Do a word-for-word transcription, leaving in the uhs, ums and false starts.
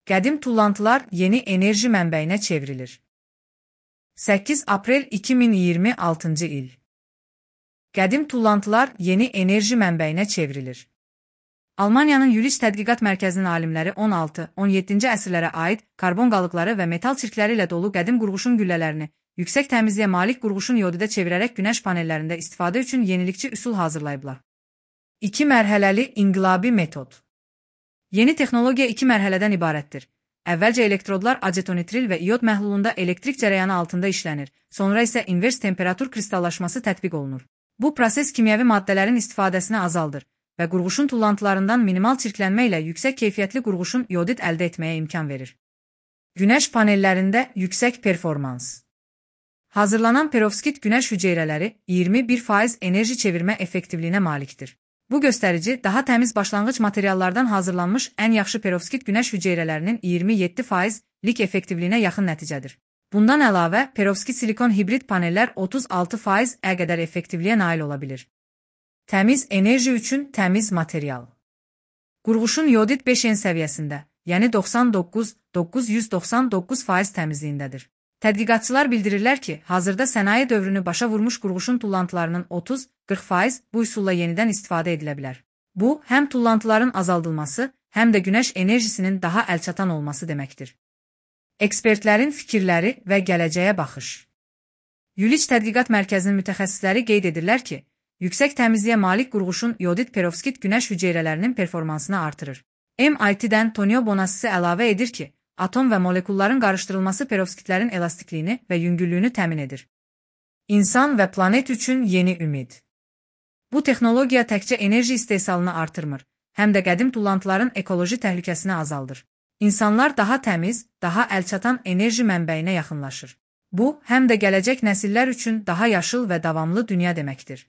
Qədim tullantılar yeni enerji mənbəyinə çevrilir. səkkiz aprel iki min iyirmi altıncı il. Qədim tullantılar yeni enerji mənbəyinə çevrilir. Almaniyanın Yülich Tədqiqat Mərkəzinin alimləri on altı on yeddinci əsrlərə aid karbon qalıqları və metal çirkləri ilə dolu qədim qurğuşun güllələrini yüksək təmizliyə malik qurğuşun yodidə çevirərək günəş panellərində istifadə üçün yenilikçi üsul hazırlayıblar. İki mərhələli inqilabi metod. Yeni texnologiya iki mərhələdən ibarətdir. Əvvəlcə elektrodlar acetonitril və iod məhlulunda elektrik cərəyanı altında işlənir, sonra isə invers temperatur kristallaşması tətbiq olunur. Bu proses kimyəvi maddələrin istifadəsini azaldır və qurğuşun tullantılarından minimal çirklənmə ilə yüksək keyfiyyətli qurğuşun yodid əldə etməyə imkan verir. Günəş panellərində yüksək performans. Hazırlanan perovskit günəş hüceyrələri iyirmi bir faiz enerji çevirmə effektivliyinə malikdir. Bu göstərici daha təmiz başlanğıc materiallardan hazırlanmış ən yaxşı perovskit günəş hüceyrələrinin iyirmi yeddi faizlik effektivliyinə yaxın nəticədir. Bundan əlavə, perovskit silikon hibrid panellər otuz altı faiz qədər effektivliyə nail ola bilir. Təmiz enerji üçün təmiz material. Qurğuşun yodid beş N səviyyəsində, yəni doxsan doqquz min doqquz yüz doxsan doqquz faiz təmizliyindədir. Tədqiqatçılar bildirirlər ki, hazırda sənaye dövrünü başa vurmuş qurğuşun tullantılarının otuz qırx faiz bu üsulla yenidən istifadə edilə bilər. Bu, həm tullantıların azaldılması, həm də günəş enerjisinin daha əlçatan olması deməkdir. Ekspertlərin fikirləri və gələcəyə baxış. Yülich Tədqiqat Mərkəzinin mütəxəssisləri qeyd edirlər ki, yüksək təmizliyə malik qurğuşun yodid perovskit günəş hüceyrələrinin performansını artırır. M I T-dən Tonio Bonassisi əlavə edir ki, atom və molekulların qarışdırılması perovskitlərin elastikliyini və yüngüllüyünü təmin edir. İnsan və planet üçün yeni ümid. Bu texnologiya təkcə enerji istehsalını artırmır, həm də qədim tullantıların ekoloji təhlükəsini azaldır. İnsanlar daha təmiz, daha əlçatan enerji mənbəyinə yaxınlaşır. Bu, həm də gələcək nəsillər üçün daha yaşıl və davamlı dünya deməkdir.